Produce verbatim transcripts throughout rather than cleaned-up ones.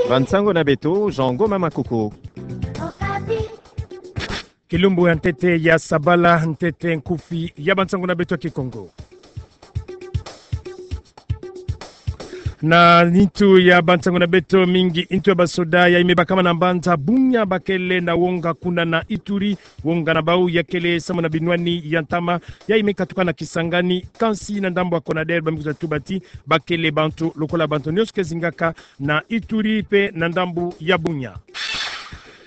Bansango na beto, Jean Ngoma Makuku. Kilumbu ya ntete ya sabala, ntete nkufi ya bansango na beto ya Kikongo. Na nitu ya bansango na beto, mingi ntu ya basoda yayi me bakama na mbanza Bunia bakele na wonga kuna na Ituri. Wonga na bau yakele samu na binwani ya ntama yayi me katuka na Kisangani, kansi na ndambu ya Conader ba me kwiza tuba ti bakele bantu lokola bantu nyonso ke zingaka na Ituri pe na ndambu ya Bunia.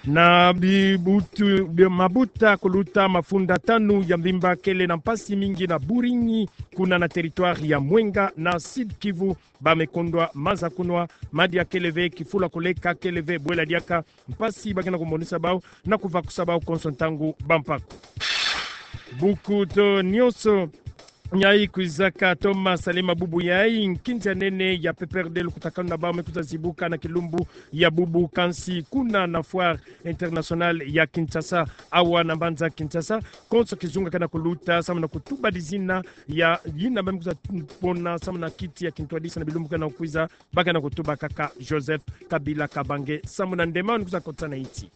Na bibutu, bi-, mabuta kuluta mafunda tanu ya mvimba kele na mpasi mingi na Buringi, kuna na territoire ya Mwenga na Sud-Kivu, ba me kondwa maza kunwa, madia kele ve, kifulu ya koleka kele ve, bwela diaka, mpasi ba ke na kumonisa bau na kuvakusa bau konso ntangu bampaku. Buku to nyonso yayi kwizaka toma salama bubu yayi, nkinzi ya nene ya P P R D lukutakanu na bau me kwiza zibuka na kilumbu ya bubu, kansi kuna na Foire Internationale ya Kinshasa, awa na mbanza Kinshasa, konso kizunga ke na kuluta samu na kutuba dizina ya yina ba me kwiza pona samu na kiti ya kintwadisi na bilumbu ke na kwiza, ba ke na kutuba kaka Joseph Kabila Kabange samu na ndemao ni kwiza kotisa na nti.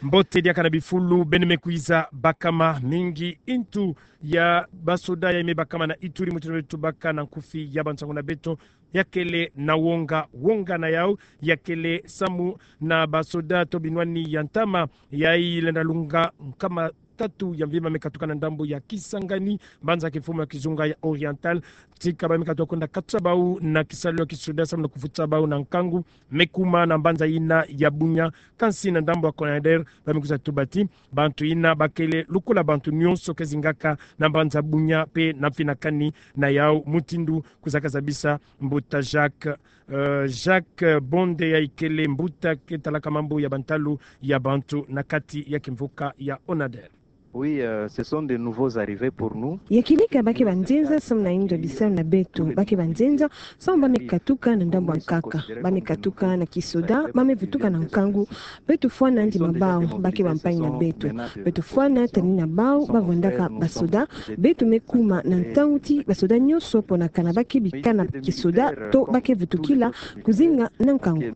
Mbote diaka na bifulu beno me kwiza bakama, mingi ntu ya basoda yayi me bakama na Ituri, mutindu tubaka na nkufi ya bansango na beto, yakele na wonga, wonga na yau yakele samu na basoda to binwani ya ntama yayi lenda lunga nkama tatu ya mvimba me katuka na ndambu ya Kisangani, mbanza kimfumu ya kizunga ya Oriental. Tika ba me katuka kwenda katusa bau na kisalu ya kisoda samu na kuvutisa bau na nkangu, me kuma na mbanza yina ya Bunia, kansi na ndambu ya Conader ba me kwiza tuba ti bantu yina bakele lokola bantu nyonso ke zingaka na mbanza Bunia pe na mfinakani na yau, mutindu kwizaka zabisa mbuta Jacques, euh, Jacques Bonde, yayi kele mbuta ke talaka mambu ya bantalu ya bantu na kati ya kimvuka ya Conader. Oui, euh, ce sont des nouveaux arrivés pour nous. Ya kibika ba ke banzenza samu na yindu ya bisalu na beto, ba ke banzenza samu ba me katuka na ndambu ya nkaka, ba me katuka na kisoda, ba me vutuka na nkangu. Beto fwana ndima bau, ba ke bampangi na beto. Beto fwana tani na bau ba vwandaka basoda. Beto me kuma na ntangu ti basoda nyonso ponakana ba ke bika na kisoda to ba ke vutukila kuzinga na nkangu.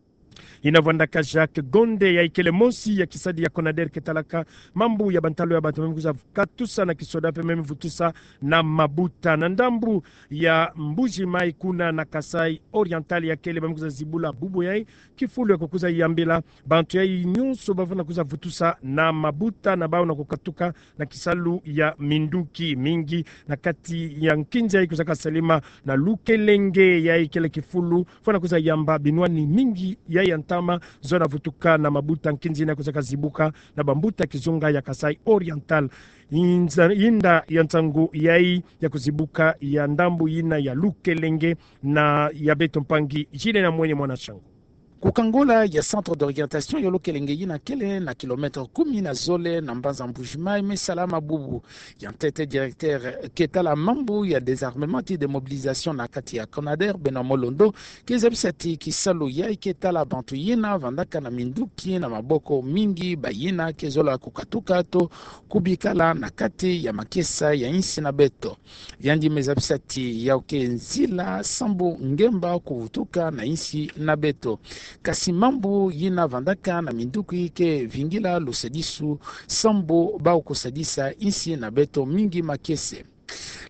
Yina vwandaka Jacques Gonde, yayi kele mosi ya kisadi ya Conader ke talaka mambu ya bantalu ya bantu me kwiza katusa na kisoda pe me vutusa na mabuta. Na ndambu ya Mbuji-Mayi, kuna na Kasaï Oriental, yakele ba me kwiza zibula bubu yayi kifulu ya kukwiza yambila bantu yayi nyonso ba vwanda kwiza vutusa na mabuta na bau na kukatuka na kisalu ya minduki, mingi na kati ya nkinzi yayi kwizaka salama na Lukelenge, yayi kele kifulu fwana kwiza yamba binwani mingi yayi ya ntama zo na vutuka na mabuta. Nkinzi yina kwizaka zibuka na bambuta kizunga ya Kasaï Oriental. Yinza, yinda ya nsangu yayi ya kuzibuka ya ndambu yina ya Lukelenge, na ya beto mpangi Gilles Namwenye mwana Shangu. Ku kangola ya centre d'orientation ya Lukelenge yina kele na kilomètre kumi na zole na mbanza Mbuji-Mayi, me salama bubu. Ya ntete, directeur ke tala mambu ya désarmement ti démobilisation na kati ya Conader, Benoît Molondo, ke zabisa ti kisalu yayi ke tala bantu yina vandaka na minduki na maboko mingi, bayina ke zola kukatuka to kubikala na kati ya makesa ya insi na beto. Yandi me zabisa ti yau ke nzila sambu ngemba kuvutuka na insi na beto. Kasi mambu yina vandaka na minduki ke vingila lusadisu sambu bau kusadisa insi na beto mingi makese.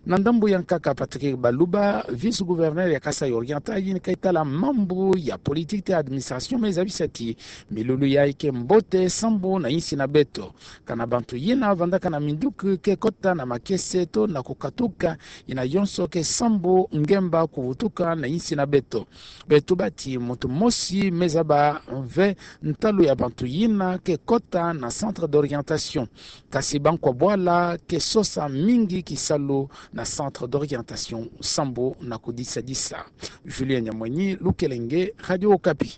Na ndambu ya nkaka, Patrick Baluba, vice-gouverneur ya Kasaï Oriental, yina ke tala mambu ya politique et administration, me zabisa ti milulu yayi ke mbote sambu na insi na beto. Kana bantu yina vandaka na minduki ke kota na makese to na kukatuka, yina yonso ke sambu ngemba kuvutuka na insi na beto. Beto bati muntu mosi me zaba ve ntalu ya bantu yina ke kota na centre d'orientation. Kasi bankwa bwala ke sosa mingi kisalu na centre d'orientation sambu na kudisadisa. Julien Nyamwenyi, Lukelenge, Radio Okapi.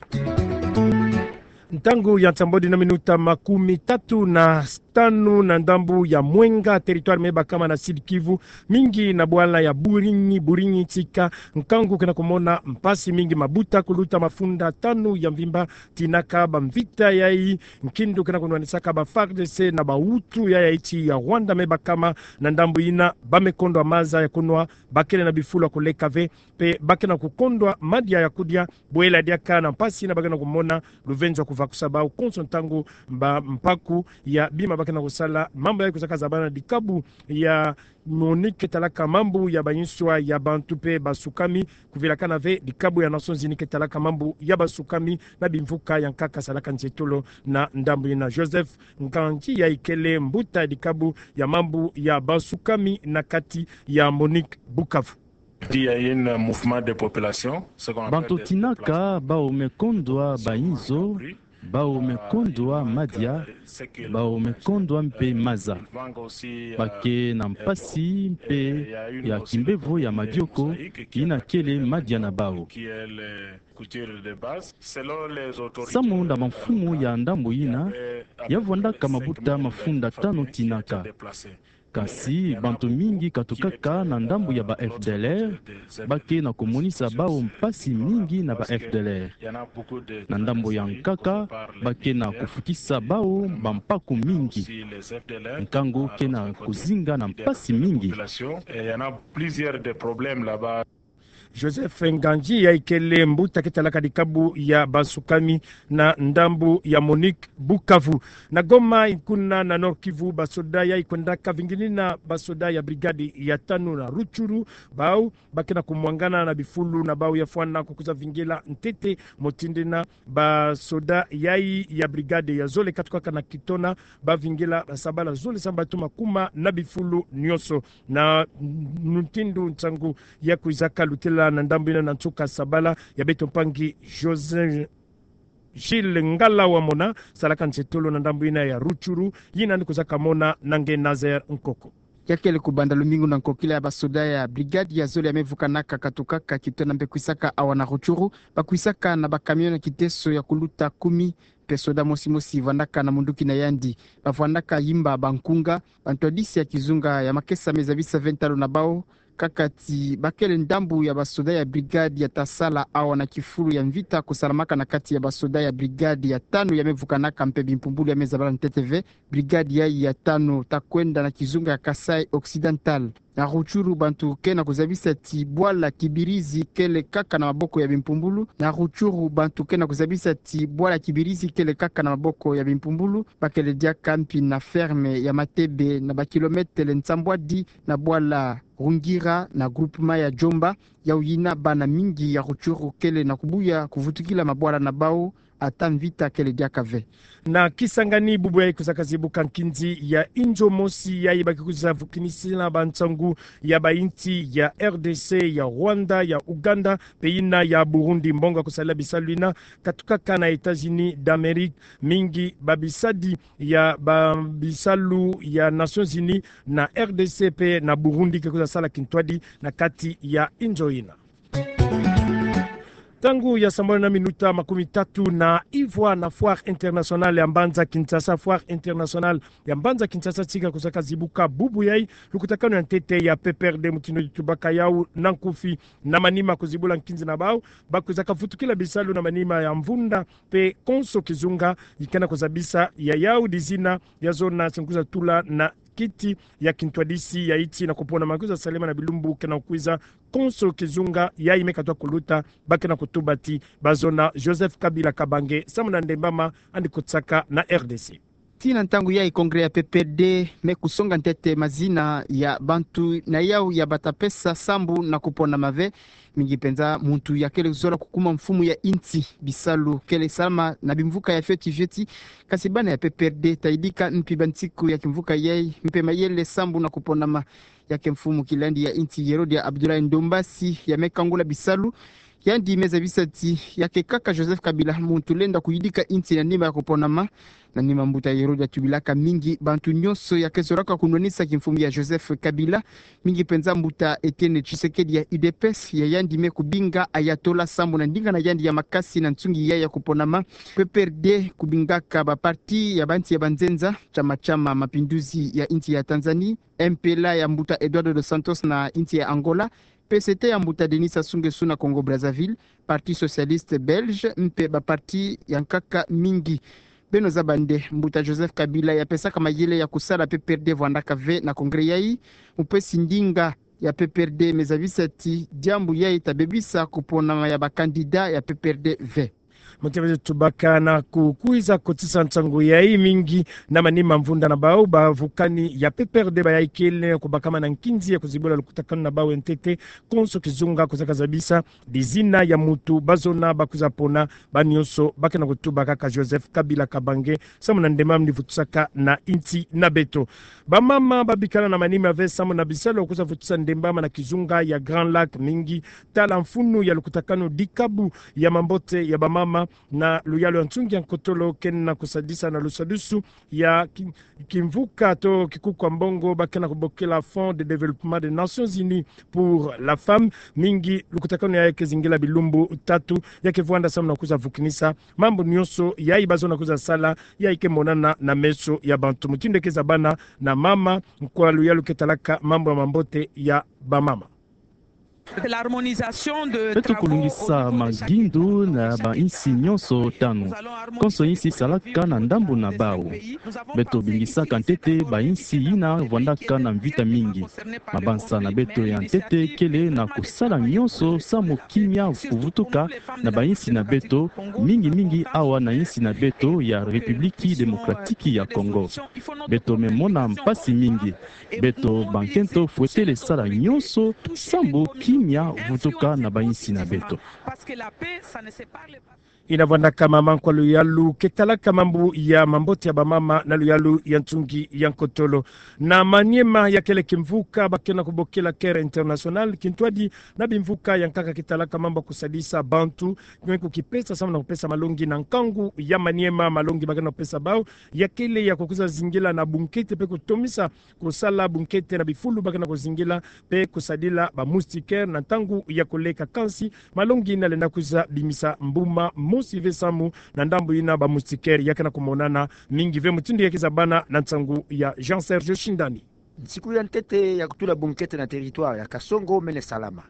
Ntangu ya nsambwadi na minuta makumi tatu na tanu na ndambu ya Mwenga, territoire me bakama na Sud-Kivu, mingi na bwala ya Burinyi, Burinyi Tika, nkangu kena kumona mpasi mingi, mabuta kuluta mafunda tanu ya mvimba, tinaka bamvita yayi, nkindu kena kunwanisaka ba FARDC na ba Hutu ya, ya insi ya Rwanda me bakama na ndambu yina, bame kondwa maza ya kunwa, bakele na bifulu ya kuleka ve, mpe bakele na kukondwa madia ya kudia, bwela diaka na mpasi yina bakele na kumona, luvenzo ya kuvakusa bau konso ntangu, ba mpaku ya bima bakele na kusala, mambu ya kuzaka zabana dikabu ya MONUC ke talaka mambu ya banswa ya bantu mpe basukami, kuvilakana ve dikabu ya Nations Unies ke talaka mambu ya basukami na bimvuka ya nkaka salaka nzietolo na ndambu yina. Joseph Nganji yayi kele mbuta dikabu ya mambu ya basukami na kati ya MONUC Bukavu. Il y a un mouvement de population, ce qu'on appelle des déplacements. Bantu tinaka, bau me kondwa bayinzo, bau me kondwa madia, bau me kondwa mpe maza. Bake na mpasi mpe ya kimbevo ya madioko, yina kele madia na bau. Samu na bamfumu ya ndambu yina, ya vwandaka mabuta mafunda tanu tinaka. Kasi bantu mingi katukaka na ndambu ya ba FDLR, bake na kumonisa bau mpasi mingi na ba FDLR. Na ndambu ya nkaka, bake na kufutisa bau bampaku mingi. Nkangu kena kuzinga na mpasi mingi. Plusieurs des problèmes là-bas. Joseph Nganji yayi kele mbuta ke talaka dikabu ya basukami na ndambu ya MONUC Bukavu. Na Goma, kuna na Nord-Kivu, basoda yayi kwendaka vingilina basoda ya brigade ya tanu na Rutshuru, bau bakena kumwangana na bifulu na bau ya fwana kukuza vingila ntete, motindina basoda yayi ya brigade ya zole katukaka na Kitona, bavingila sabala zole sambatu makuma na bifulu nionso. Na mutindu nsangu ya kwizaka lutela na ndambu yina na nsuka sabala, ya beto mpangi José Gilles Ngala Wamona, salaka nzietolo na ndambu yina ya Rutshuru, yina ni kwizaka mona na nge Nazaire Nkoko. Ya kele kubanda lumingu na nkokila ya basoda ya brigade ya zole ya me vukanaka katukaka Kitona mpe kwisaka awa na Rutshuru, bakwisaka na ba camion na kiteso ya kuluta kumi, mpe soda mosi mosi vwandaka na munduki na yandi. Bavwandaka yimba bankunga, bantwadisi ya kizunga ya makesa me zabisa ve ntalo na bau, kaka ti bakele ndambu ya basoda ya brigade ya ta sala awa na kifulu ya mvita kusalamaka na kati ya basoda ya brigade ya tanu ya me vukanaka mpe bimpumbulu ya me zabala ntete ve. Brigade yayi ya tanu ta kwenda na kizunga ya Kasaï Occidental. Na Rutshuru bantu ke na kuzabisa ti bwala Kibirizi kele kaka na maboko ya bimpumbulu. Na Rutshuru bantu ke na kuzabisa ti bwala Kibirizi kele kaka na maboko ya bimpumbulu. Bakele diaka mpi na ferme ya Matebe, na ba kilometele nsambwadi na bwala Rungira na groupement ya Djomba. Yau yina bana mingi ya Rutshuru kele na kubuya kuvutukila mabwala na bau, ata mvita kele diaka ve. Na Kisangani, bubu yayi kwizaka zibuka nkinzi ya inzo mosi yayi baki kwiza vukinisila bansangu ya bayinsi ya R D C, ya Rwanda, ya Uganda, mpe yina ya Burundi. Mbongo ya kusalila bisalu yina katukaka na États-Unis d'Amérique. Mingi ba bisadi ya ba bisalu ya Nations Unies na R D C mpe na Burundi ke kwiza sala kintwadi na kati ya inzo yina. Ntangu ya sambanu na minuta makumi tatu na ivwa na Foire Internationale ya Mbanza Kinshasa. Foire Internationale ya Mbanza Kinshasa tika kwizaka zibuka bubu yayi, lukutakanu ya ntete ya P P R D mutindu tubaka yau na nkufi. Na manima kuzibula nkinzi na bau, bakwizaka vutukila bisalu na manima ya mvunda mpe konso kizunga yi ke na kuzabisa ya yau dizina ya zona si kwiza tula na kiti ya kintwadisi ya insi na kuponama kwiza salema na bilumbu ke na kwiza. Konso kizunga yayi me katwa kuluta, ba ke na kutuba ti ba zona Joseph Kabila Kabange samu na ndembama andi kutsaka na R D C. Tii na ntangu yayi, congrès ya P P R D me kusonga ntete mazina ya bantu na yau ya bata pesa sambu na kuponama ve. Mingi mpenza muntu ya kele zola kukuma mfumu ya insi. Bisalu kele salama na bimvuka ya fioti fioti, kasi bana ya P P R D ta yidika mpi bansiku ya kimvuka yayi mpe mayele sambu na kuponama ya ke mfumu kilandi ya insi Yerodia Abdoulaye Ndombasi ya me kangula bisalu. Yandi me zabisa ti ya ke kaka Joseph Kabila muntu lenda kuyidika insi na nima ya kuponama. Na nima mbuta Herode atubilaka mingi bantu nyonso ya ke zolaka kunwanisa kimfumu ya Joseph Kabila, mingi penza mbuta Etienne Tshisekedi ya U D P S, ya yandi me kubinga Ayatollah sambu na ndinga na yandi ya makasi na nsungi ya ya kuponama. P P R D kubingaka ba parti ya bansi ya banzenza, Chama cha Mapinduzi ya insi ya Tanzanie, M P L A ya mbuta Eduardo dos Santos na insi ya Angola, P C T ya mbuta Denis Sassou Nguesso na Congo Brazzaville, Parti Socialiste Belge, mpe ba parti ya nkaka mingi. Beno zaba nde mbuta Joseph Kabila ya pesaka mayele ya kusala P P R D vwandaka ve na congrès yayi, mupesi ndinga ya P P R D me zabisa ti diambu yayi ta bebisa kuponama ya ba candidat ya P P R D ve. Mutiabe tubaka na kukwiza kotisa nsangu yayi mingi na manima mvunda na bau, bavukani ya P P R D bayayi kele kubakama na nkinzi ya kuzibula lukutakanu na bau ya ntete, konso kizunga kusaka zabisa bizina ya mutu bazona bakwiza pona, ba nyonso ba ke na kutuba kaka Joseph Kabila Kabange, samu na ndemba mini vutusaka na insi na beto. Bamama babikana na manima ve samu na bisalu ya kwiza vutisa ndemba mana kizunga ya Grand Lac mingi, tala mfunu ya lukutakanu dikabu ya mambote ya bamama na luyalu ya nsungi ya nkotolo ke na kusadisa na lusadusu ya ki-, kimvuka to kikuku ya mbongo ba ke na kubokila Fonds de Développement des Nations Unies pour la Femme. Mingi lukutakanu yayi ke zingila bilumbu tatu, ya ke vwanda samu na kwiza vukinisa mambu nyonso yayi bazona kwiza sala, yayi ke monana na meso ya bantu. Mutindu ke zabana na mama, nkwa luyalu ke talaka mambu ya mambote ya bamama. Beto kulungisa magindu na bainsi nyonso tanu. Konso insi salaka na ndambu na bau. Beto bingisaka ntete bainsi yina vwandaka na mvita mingi. Mabanza na beto ya ntete kele na kusala nyonso samu kimia kuvutuka na bainsi na beto, mingi mingi awa na insi na beto ya République Démocratique ya Congo. Beto me mona mpasi mingi. Beto bankento fwetele sala nyonso sambu kimia vutuka na bainsi na beto. Yina vwandaka mama nkwa luyalu ke talaka mambu ya mambote ya bamama na luyalu ya nsungi ya nkotolo. Na Maniema, ya kele kimvuka ba ke na kubokila Care International, kintwadi na bimvuka ya nkaka ke talaka mambu ya kusadisa bantu, kwe kukipesa samu na kupesa malongi na nkangu ya Maniema. Malongi ba ke na kupesa bau ya kele ya kukwiza zingila na bunkete mpe kutomisa kusala bunkete na bifulu ba ke na kuzingila, mpe kusadila ba moustiquaire na ntangu ya koleka. Kansi malongi yina lenda kwiza bimisa mbuma mosi ve samu na ndambu yina ba moustiquaire ya ke na kumonana mingi ve. Mutindu ya ke zabana na nsangu ya Jean Serge Shindani. Nsiku ya ntete ya kutula bunkete na territoire ya Kasongo mene salama.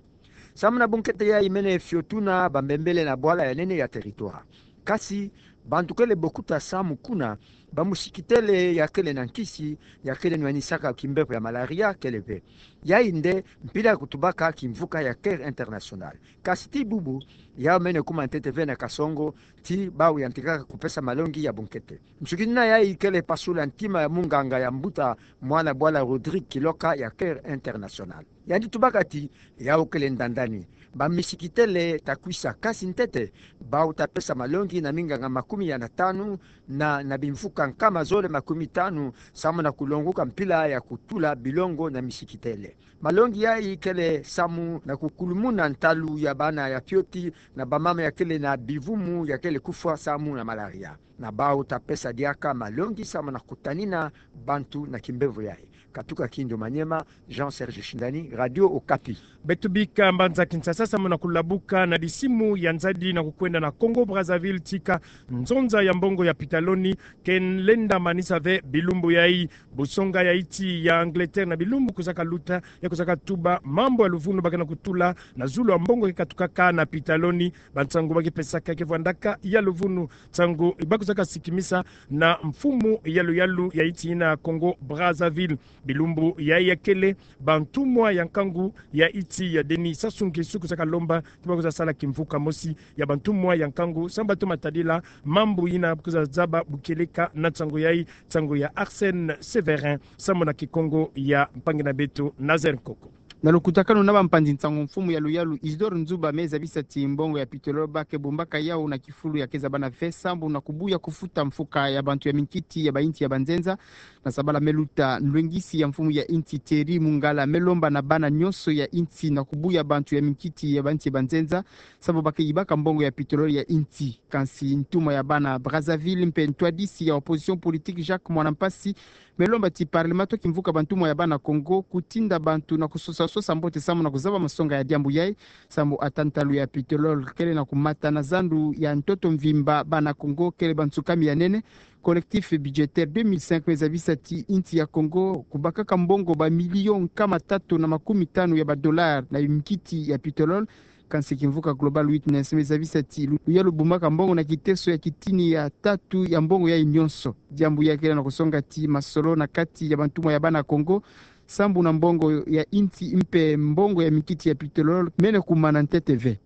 Samu na bunkete yayi mene fiotuna bambembele na bwala ya nene ya territoire. Kasi bantu kele bokuta samu kuna ba moustiquaire ya kele na nkisi ya kele nwanisaka kimbevo ya malaria kele ve. Yayi nde mpila ya kutubaka kimvuka ya Care International. Kasi ti bubu, yau mene kuma ntete ve na Kasongo, ti bau yantikaka kupesa malongi ya bunkete. Nsuki nina yayi kele pasula ntima ya munganga ya mbuta mwana bwala Rodrigue Kiloka ya Care International. Yandi tubaka ti, yau kele ndandani. Ba moustiquaire ta kwisa, kasi ntete bau ta pesa malongi na minganga makumi ya na tanu na, na bimvuka nkama zole makumi tanu, samu na kulonguka mpila ya kutula bilongo na moustiquaire. Malongi yayi kele samu na kukulumuna ntalu ya bana ya fioti na bamama ya kele na bivumu ya kele kufwa samu na malaria. Na bau ta pesa diaka malongi samu na kutanina bantu na kimbevo yayi. Katuka Kindu Maniema, Jean Serge Shindani, Radio Okapi. Beto bika mbanza Kinshasa samu na kulabuka na bisimu ya nzadi na kukwenda na Congo Brazzaville, tika nzonza ya mbongo ya pitaloni ke lenda manisa ve bilumbu yayi. Busonga ya insi ya Angleterre na bilumbu kwizaka luta ya kwizaka tuba mambu ya luvunu ba ke na kutula na zulu ya mbongo ke katukaka na pitaloni. Bansangu ba ke pesaka ke vwandaka ya luvunu, nsangu ba kwizaka sikimisa na mfumu ya luyalu ya insi yina Congo Brazzaville. Bilumbu yayi ya kele bantumwa ya nkangu ya insi ya Denis Sassou Nguesso kwizaka lomba ti ba kwiza sala kimvuka mosi ya bantumwa ya nkangu samu ba toma tadila mambu yina kwiza zaba bu kieleka na nsangu yayi, nsangu ya Arsène Séverin samu na Kikongo ya mpangi na beto Nazaire Nkoko. Na lukutakanu na bampanzi nsangu, mfumu ya luyalu Isidore Nzuba me zabisa ti mbongo ya pétrole ba ke bumbaka yawu na kifulu ya ke zaba na ve sambu na kubuya kufuta mfuka ya bantu ya minkiti ya bainsi ya banzenza. Na sabala me luta, nlwengisi ya mfumu ya insi Thierry Moungalla me lomba na bana nyonso ya insi na kubuya bantu ya minkiti ya bainsi ya banzenza sambu ba ke yibaka mbongo ya pétrole ya insi. Kansi ntumwa ya bana Brazzaville mpe ntwadisi ya opposition politique Jacques Muana Mpassi me lomba ti parlement to kimvuka bantumwa ya bana Congo kutinda bantu na kusosa-sosa mbote samu na kuzaba masonga ya diambu yayi, sambu ata ntalu ya pétrole kele na kumata na zandu ya ntoto mvimba, bana Congo kele bansukami ya nene. Collectif budgétaire deux mille cinq me zabisa ti insi ya Congo kubakaka mbongo ba million nkama tatu na makumi tanu ya ba dollars na minkiti ya pétrole. Kansi kimvuka Global Witness me zabisa ti lu-, luyalu bumbaka mbongo na kiteso ya kitini ya tatu ya mbongo yayi nyonso. Diambu yayi kele na kusonga ti masolo na kati ya bantumwa ya bana Congo sambu na mbongo ya insi mpe mbongo ya minkiti ya pétrole mene kumana ntete ve.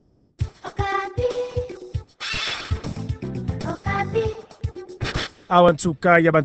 Awa nsuka ya